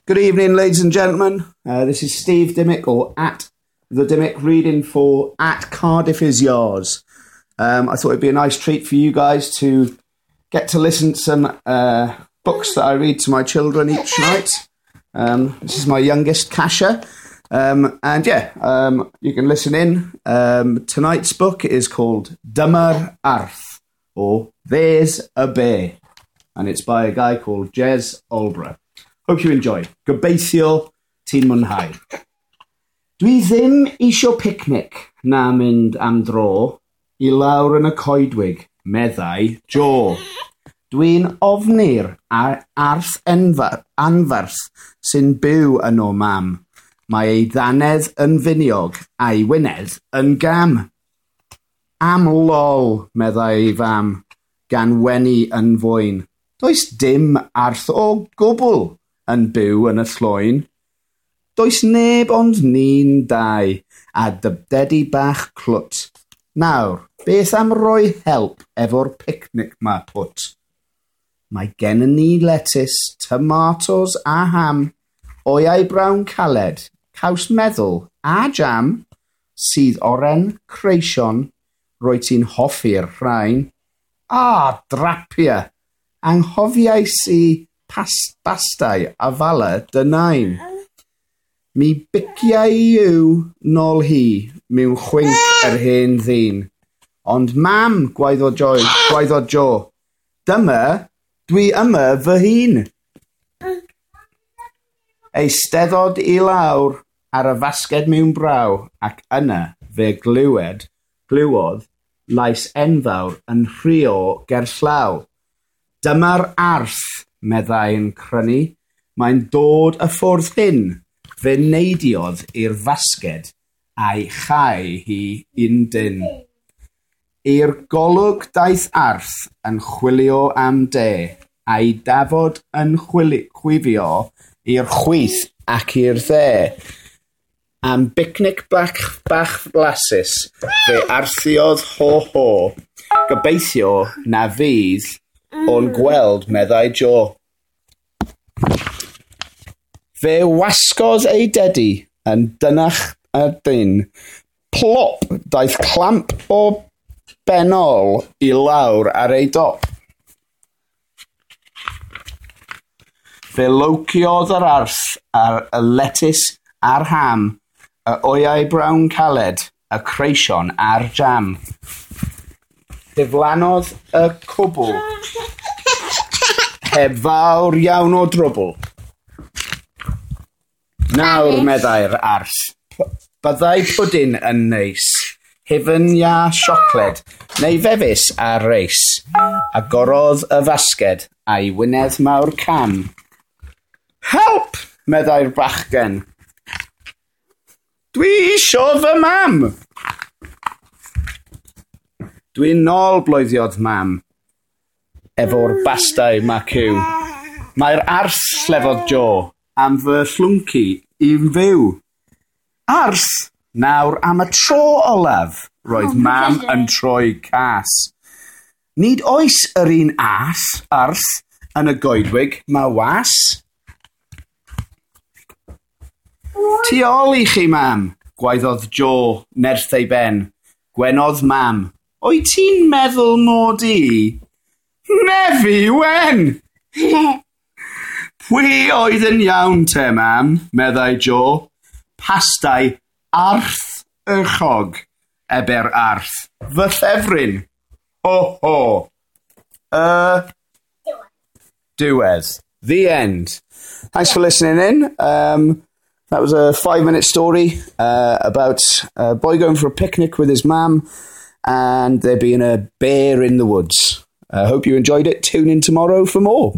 Good evening, ladies and gentlemen. This is Steve Dimmick, or at The Dimmick, reading for At Cardiff Is Yours. I thought it'd be a nice treat for you guys to get to listen to some books that I read to my children each night. This is my youngest, Kasha. You can listen in. Tonight's book is called Dyma'r Arth, or There's a Bear, and it's by a guy called Jez Alborough. Hope you enjoy. Gobeithio ti'n mwynhau. Dwi ddim isio picnic na mynd am dro i lawr yn y coedwig, meddai Jo. Dwi'n ofni'r arth anferth sy'n byw yno, mam. Mae ei ddannedd yn finiog a'i wynedd yn gam. Am lol, meddai ei fam, gan wenu yn fwyn. Does dim arth o gwbl yn byw yn y llwyn. Does neb ond ni'n dau, a dy dedi bach clwt. Nawr, beth am roi help efo'r picnic ma, pwt? Mae gennym ni letys, tomatos a ham, wyau brown caled, caws meddwl a jam, sydd oren, creision, roi ti'n hoffi'r rhain. A, drapia! Anghofiais i bastai a fala dy nain. Mi biciau yw nôl hi mewn chwinc yr hen ddyn. Ond mam, gwaeddodd Jo, dyma, dwi yma fy hun. Eisteddod i lawr ar y fasged mewn braw, ac yna fe glywodd lais enfawr yn rhuo gerllaw. Dyma'r arth, meddai yn crynu, mae'n dod y ffordd hyn. Fe neidiodd i'r fasged a'i chau hi un dyn. I'r golwg daeth arth yn chwilio am de, a'i dafod yn chwifio i'r chwith ac i'r dde. Am bicnic bach blasus, fe arthiodd ho-ho. Gobeithio na fydd o'n gweld, meddai Jo. Fe wasgodd ei dedi yn dynach y dyn. Plop daeth clamp o benol i lawr ar ei dop. Fe lowciodd yr arth ar y letys a'r ham, y wyau brown caled, y creision a'r jam. Diflannodd y cwbl heb fawr iawn o drwbl. Nawr, meddai'r arth, byddai pwdin yn neis, hufen iâ siocled, neu fefus a reis. Agorodd y fasged a'i wynedd mawr cam. Help, meddai'r bachgen. Dwi isio fy mam! Dwi'n nôl, bloeddiodd mam, efo'r bastai maciw. Mae'r arth, llefodd Jo, am fy llwnci i'n fyw. Arth, nawr am y tro olaf, roedd mam yn troi cas. Nid oes yr un arth yn y goedwig, ma was. Tu ôl i chi, mam, gwaeddodd Jo nerth ei ben. Gwenodd mam. Wyt ti'n meddwl mod i? Nefi wen! Pwy oedd yn iawn te, mam, meddai Jo. Pastai arth y chog, ebe'r arth. Fy ffefryn. Ho, ho. Diwedd. The end. Thanks for listening in. That was a 5-minute story about a boy going for a picnic with his mam and there being a bear in the woods. I hope you enjoyed it. Tune in tomorrow for more.